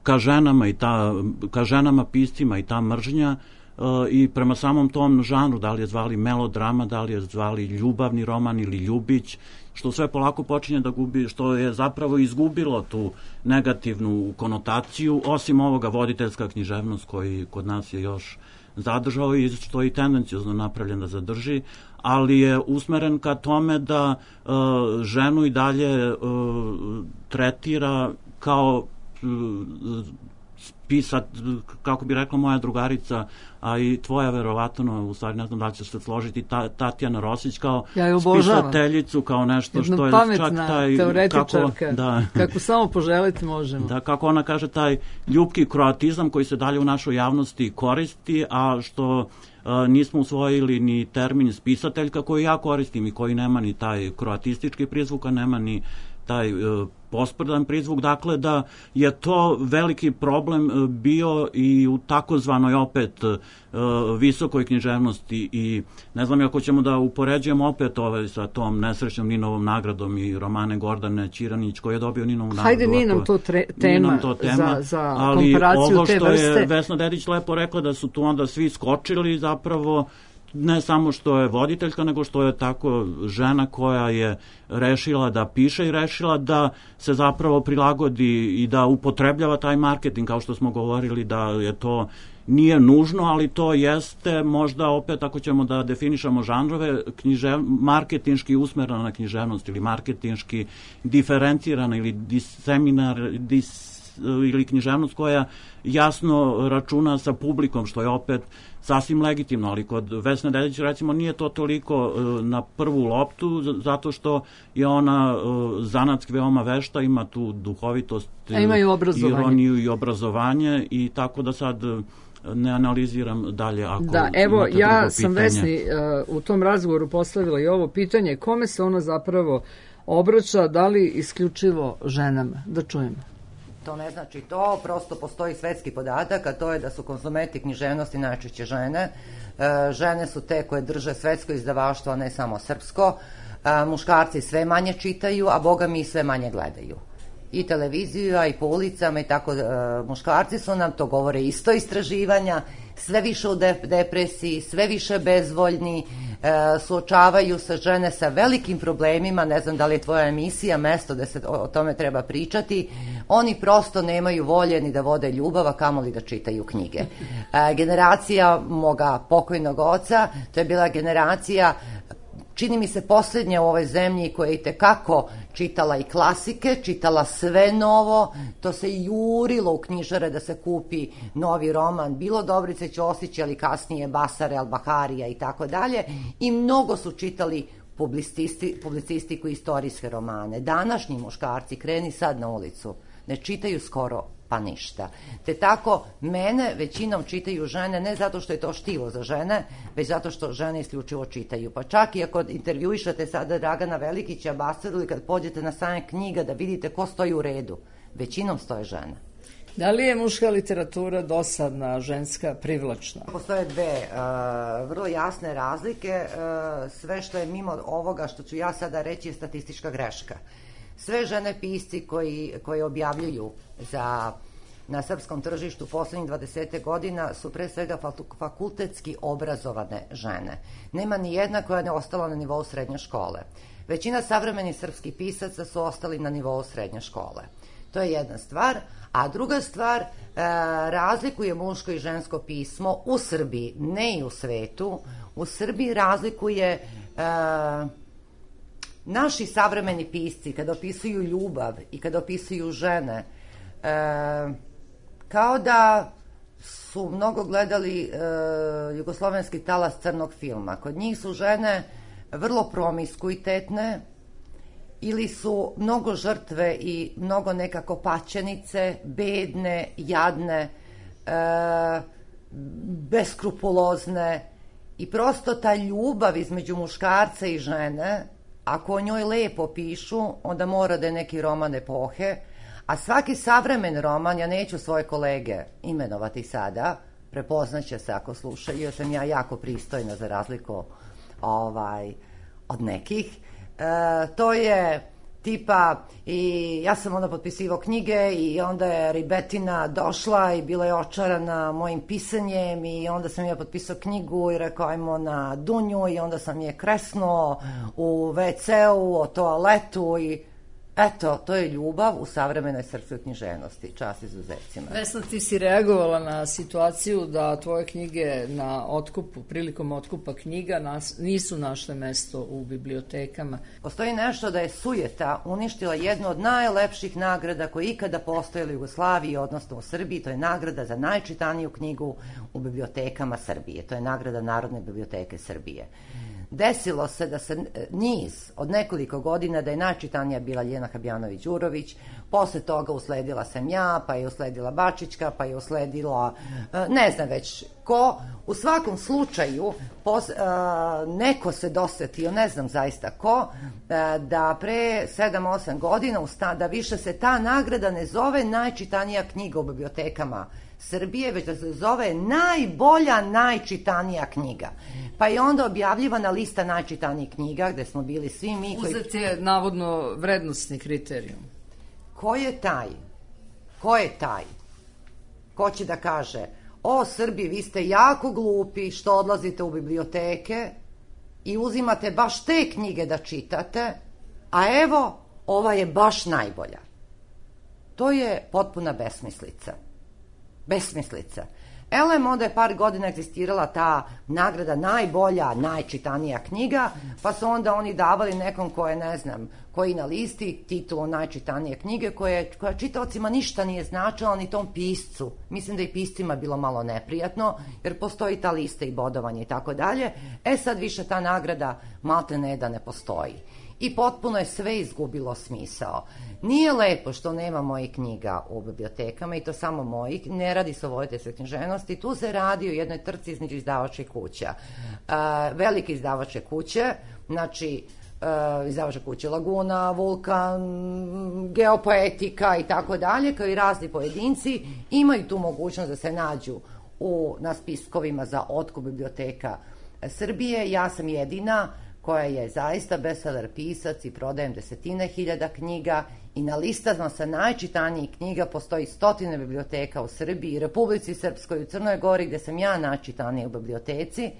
ka ženama piscima i ta mržnja i prema samom tom žanru, da li je zvali melodrama, da li je zvali ljubavni roman ili ljubić, što sve polako počinje da gubi, što je zapravo izgubilo tu negativnu konotaciju, osim ovoga voditeljska književnost koji kod nas je još zadržao i što je i tendencijozno napravljen da zadrži, ali je usmeren ka tome da ženu i dalje tretira kao pisat, kako bi rekla moja drugarica, a i tvoja verovatno, u stvari ne znam da ćeš se složiti, Tatjana Rosić kao spisateljicu, kao nešto što je čak taj... teoretičarka, kako samo poželiti možemo. Da, kako ona kaže, taj ljubki kroatizam koji se dalje u našoj javnosti koristi, a što nismo usvojili ni termin spisateljka koji ja koristim i koji nema ni taj kroatistički prizvuk, a nema ni taj posprdan prizvuk, dakle da je to veliki problem bio i u takozvanoj opet visokoj književnosti i ne znam ako ćemo da upoređujemo opet sa tom nesrećnom Ninovom nagradom i romane Gordane Ćiranić koji je dobio Ninovu nagradu. Hajde, nije nam to tema za komparaciju te vrste. Ali ovo što je Vesna Dedić lepo rekla da su tu onda svi skočili zapravo ne samo što je voditeljka, nego što je tako žena koja je rešila da piše i rešila da se zapravo prilagodi i da upotrebljava taj marketing, kao što smo govorili da je to nije nužno, ali to jeste možda opet ako ćemo da definišemo žanrove, marketinški usmerena književnost ili marketinški diferencirana ili ili književnost koja jasno računa sa publikom, što je opet sasvim legitimno, ali kod Vesne Dedić recimo nije to toliko na prvu loptu, zato je ona zanatski veoma vešta, ima tu duhovitost, ironiju i obrazovanje i tako da sad ne analiziram dalje ako da, evo, ja sam Vesni u tom razgovoru postavila i ovo pitanje, kome se ona zapravo obraća, da li isključivo ženama? Da čujemo. To ne znači to, prosto postoji svetski podatak, a to je da su konzumenti književnosti najčešće žene. Žene su te koje drže svetsko izdavaštvo, a ne samo srpsko. Muškarci sve manje čitaju, a boga mi sve manje gledaju. I televiziju, a i po ulicama i tako. Muškarci su nam, to govore isto istraživanja, sve više u depresiji, sve više bezvoljni, suočavaju se žene sa velikim problemima, ne znam da li je tvoja emisija mesto da se o tome treba pričati, oni prosto nemaju volje ni da vode ljubav, a kamoli da čitaju knjige. Generacija moga pokojnog oca, to je bila generacija, čini mi se posljednja u ovoj zemlji koja je itekako čitala i klasike, čitala sve novo, to se jurilo u knjižare da se kupi novi roman, bilo Dobrice Ćosić, ali kasnije Basare, Al-Baharija i tako dalje, i mnogo su čitali publicistiku i istorijske romane. Današnji muškarci, kreni sad na ulicu, ne čitaju skoro pa ništa. Te tako, mene većinom čitaju žene, ne zato što je to štivo za žene, već zato što žene isključivo čitaju. Pa čak i ako intervjuišate sada Dragana Velikića, Basaru, ili kad pođete na sajam knjiga da vidite ko stoji u redu, većinom stoje žene. Da li je muška literatura dosadna, ženska, privlačna? Postoje dve vrlo jasne razlike. Sve što je mimo ovoga što ću ja sada reći je statistička greška. Sve žene pisci koji objavljuju na srpskom tržištu poslednjih 20 godina su pre svega fakultetski obrazovane žene. Nema ni jedna koja ne ostala na nivou srednje škole. Većina savremenih srpskih pisaca su ostali na nivou srednje škole. To je jedna stvar. A druga stvar, razlikuje muško i žensko pismo u Srbiji, ne i u svetu. U Srbiji razlikuje... Naši savremeni pisci, kada opisuju ljubav i kada opisuju žene, kao da su mnogo gledali jugoslovenski talas crnog filma. Kod njih su žene vrlo promiskuitetne ili su mnogo žrtve i mnogo nekako paćenice, bedne, jadne, beskrupulozne i prosto ta ljubav između muškarca i žene, ako o njoj lepo pišu, onda mora da je neki roman epohe, A svaki savremen roman, ja neću svoje kolege imenovati sada, prepoznaće se ako slušaju, jer sam ja jako pristojna za razliku od nekih. To je tipa, i ja sam onda potpisivao knjige i onda je ribetina došla i bila je očarana mojim pisanjem i onda sam ja potpisao knjigu i rekao ajmo na Dunju i onda sam je kresnuo u WC-u, o toaletu i eto, to je ljubav u savremenoj srpskoj književnosti, čast izuzecima. Vesna, ti si reagovala na situaciju da tvoje knjige na otkupu, prilikom otkupa knjiga nisu našle mesto u bibliotekama. Postoji nešto da je sujeta uništila jednu od najlepših nagrada koje ikada postojala u Jugoslaviji, odnosno u Srbiji, to je nagrada za najčitaniju knjigu u bibliotekama Srbije. To je nagrada Narodne biblioteke Srbije. Desilo se da se niz od nekoliko godina da je najčitanija bila Ljena Habjanović-Đurović, posle toga usledila sam ja, pa je usledila Bačićka, pa je usledila ne znam već ko. U svakom slučaju neko se dosetio, ne znam zaista ko, da pre 7-8 godina da više se ta nagrada ne zove najčitanija knjiga u bibliotekama Srbije, već da se zove najbolja najčitanija knjiga. Pa je onda objavljivana lista najčitanijih knjiga gde smo bili svi mi koji... Uzet je navodno vrednostni kriterijum. Ko je taj? Ko je taj? Ko će da kaže, o Srbi, vi ste jako glupi što odlazite u biblioteke i uzimate baš te knjige da čitate, a evo, ova je baš najbolja. To je potpuna besmislica. Besmislica. Elem, onda je par godina egzistirala ta nagrada najbolja, najčitanija knjiga, pa su onda oni davali nekom ko je, ne znam, koji na listi titulu najčitanije knjige, koja čitaocima ništa nije značila, ni tom piscu. Mislim da i piscima bilo malo neprijatno, jer postoji ta lista i bodovanje i tako dalje. Sad više ta nagrada malte ne da ne postoji. I potpuno je sve izgubilo smisao. Nije lepo što nema mojih knjiga u bibliotekama i to samo mojih, ne radi se o voditeljskoj književnosti, tu se radi o jednoj trci između izdavačkih kuća. Velike izdavačke kuće, znači izdavačke kuće Laguna, Vulkan, Geopoetika i tako dalje, kao i razni pojedinci, imaju tu mogućnost da se nađu na spiskovima za otkup biblioteka Srbije. Ja sam jedina koja je zaista bestseller pisac i prodajem desetine hiljada knjiga i na listama sa najčitanijih knjiga postoji stotine biblioteka u Srbiji, Republici Srpskoj, u Crnoj Gori, gde sam ja najčitanija u biblioteci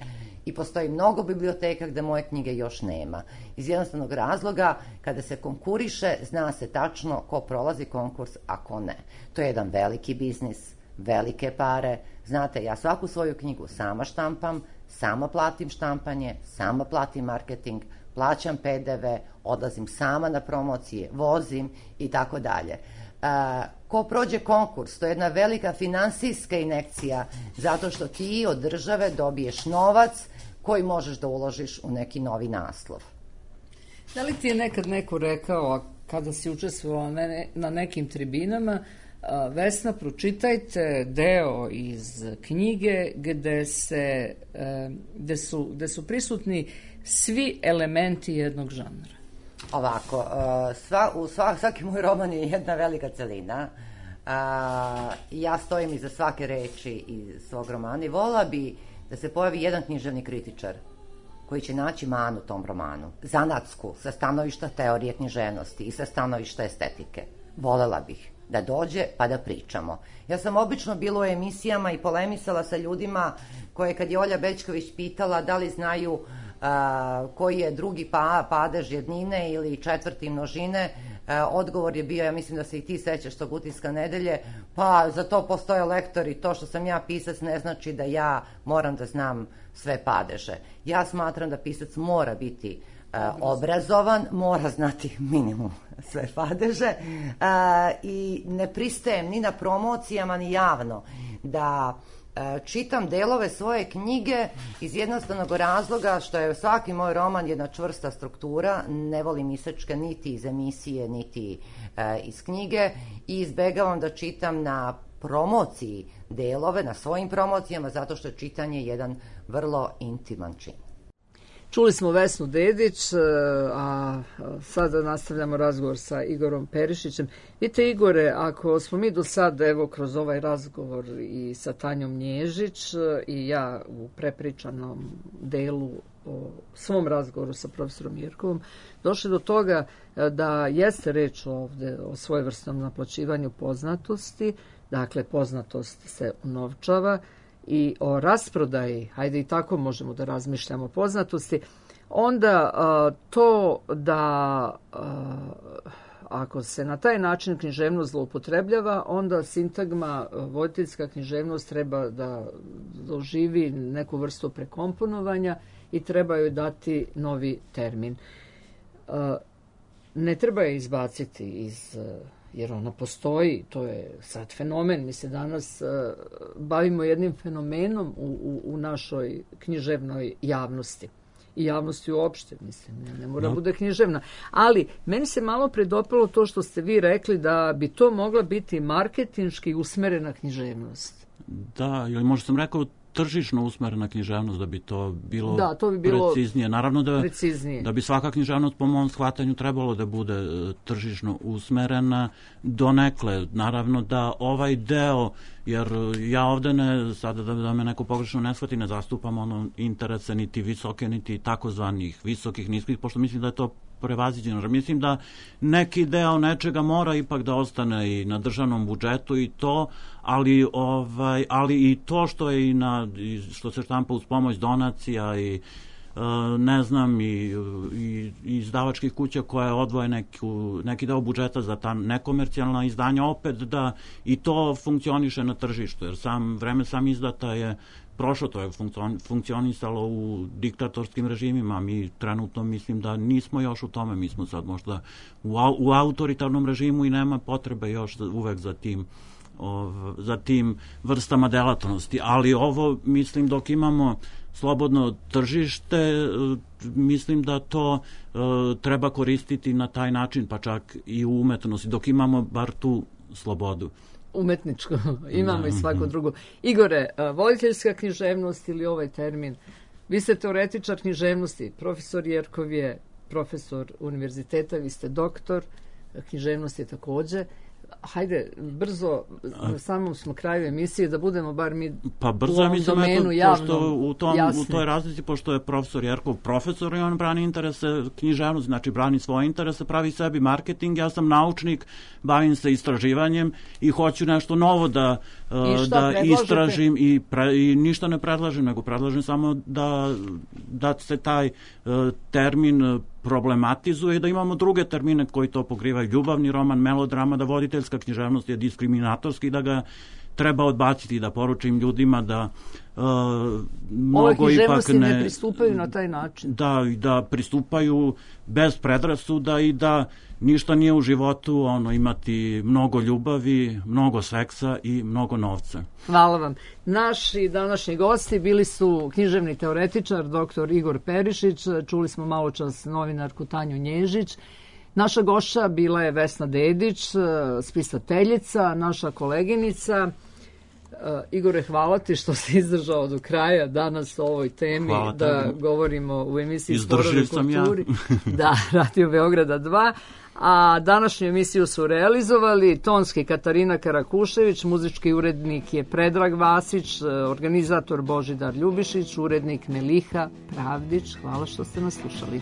i postoji mnogo biblioteka gde moje knjige još nema. Iz jednostavnog razloga, kada se konkuriše, zna se tačno ko prolazi konkurs, a ko ne. To je jedan veliki biznis, velike pare. Znate, ja svaku svoju knjigu sama štampam, sama platim štampanje, sama platim marketing, plaćam PDV, odlazim sama na promocije, vozim i tako dalje. Ko prođe konkurs, to je jedna velika finansijska injekcija, zato što ti od države dobiješ novac koji možeš da uložiš u neki novi naslov. Da li ti je nekad neko rekao, kada si učestvovala na nekim tribinama, Vesna, pročitajte deo iz knjige gde su prisutni svi elementi jednog žanra? Ovako, svaki moj roman je jedna velika celina. Ja stojim iza svake reči iz svog romana i volila bi da se pojavi jedan književni kritičar koji će naći manu tom romanu, zanatsku, sa stanovišta teorije književnosti i sa stanovišta estetike. Volela bih da dođe pa da pričamo. Ja sam obično bila u emisijama i polemisala sa ljudima koje kad je Olja Bećković pitala da li znaju koji je drugi padež jednine ili četvrti množine, odgovor je bio, ja mislim da se i ti sećaš tog Utiska nedelje, pa za to postoje lektori, to što sam ja pisac ne znači da ja moram da znam sve padeže. Ja smatram da pisac mora biti obrazovan, mora znati minimum sve padeže i ne pristajem ni na promocijama ni javno da čitam delove svoje knjige iz jednostavnog razloga što je svaki moj roman jedna čvrsta struktura, ne volim isečke niti iz emisije niti iz knjige i izbegavam da čitam na promociji delove, na svojim promocijama, zato što je čitanje jedan vrlo intiman čin. Čuli smo Vesnu Dedić, a sada nastavljamo razgovor sa Igorom Perišićem. Vidite, Igore, ako smo mi do sad, evo, kroz ovaj razgovor i sa Tanjom Nježić i ja u prepričanom delu o svom razgovoru sa profesorom Jerkovom, došli do toga da jeste reč ovde o svojevrsnom naplaćivanju poznatosti, dakle, poznatost se unovčava, i o rasprodaji, hajde i tako možemo da razmišljamo o poznatosti, onda to da ako se na taj način književnost zloupotrebljava, onda sintagma voditeljska književnost treba da doživi neku vrstu prekomponovanja i treba joj dati novi termin. Ne treba je izbaciti jer ona postoji, to je sad fenomen. Mi se danas bavimo jednim fenomenom u našoj književnoj javnosti. I javnosti uopšte, mislim, ne mora bude književna. Ali, meni se malo predopalo to što ste vi rekli da bi to mogla biti marketinški usmerena književnost. Da, ili možda sam rekao tržišno usmerena književnost, da bi to bilo, preciznije. Naravno da bi svaka književnost po mom shvatanju trebalo da bude tržišno usmerena donekle. Naravno da ovaj deo, jer ja ovde sada da me neko pogrešno ne shvati, ne zastupam interese niti visoke, niti takozvanih visokih, niskih, pošto mislim da je to prevaziđeno. Mislim da neki deo nečega mora ipak da ostane i na državnom budžetu i to, ali i to što je što se štampa uz pomoć donacija i ne znam, i izdavačkih kuća koje odvoje neki deo budžeta za ta nekomercijalna izdanja, opet da i to funkcioniše na tržištu, jer vreme sam izdata je prošlo, to je funkcionisalo u diktatorskim režimima. Mi trenutno mislim da nismo još u tome, mi smo sad možda u autoritarnom režimu i nema potrebe još uvek za tim vrstama delatnosti. Ali ovo, mislim, dok imamo slobodno tržište, mislim da to treba koristiti na taj način, pa čak i u umetnosti, dok imamo bar tu slobodu. Umetničko, imamo i svako drugo. Igore, voditeljska književnost ili ovaj termin, vi ste teoretičar književnosti, profesor Jerkov je profesor univerziteta, vi ste doktor književnosti takođe. Hajde, brzo, na samom smo kraju emisije, da budemo bar mi u ovom domenu javnom jasni. U toj razlici, pošto je profesor Jerkov profesor i on brani interese književnosti, znači brani svoje interese, pravi sebi marketing, ja sam naučnik, bavim se istraživanjem i hoću nešto novo da istražim i ništa ne predlažem, nego predlažem samo da se taj termin problematizuje i da imamo druge termine koji to pokrivaju, ljubavni roman, melodrama, da voditeljska književnost je diskriminatorski, da ga treba odbaciti, da poručim ljudima da mnogo ipak ne pristupaju na taj način. Da pristupaju bez predrasuda i da ništa nije u životu imati mnogo ljubavi, mnogo seksa i mnogo novca. Hvala vam. Naši današnji gosti bili su književni teoretičar dr. Igor Perišić, čuli smo malo čas novinarku Tanju Nježić, naša gošća bila je Vesna Dedić, spisateljica, naša koleginica. Igore, hvala ti što si izdržao do kraja danas o ovoj temi, da govorimo u emisiji Sporovi kulturi. Da, Radio Beograda 2. A današnju emisiju su realizovali tonski Katarina Karakušević, muzički urednik je Predrag Vasić, organizator Božidar Ljubišić, urednik Meliha Pravdić. Hvala što ste nas slušali.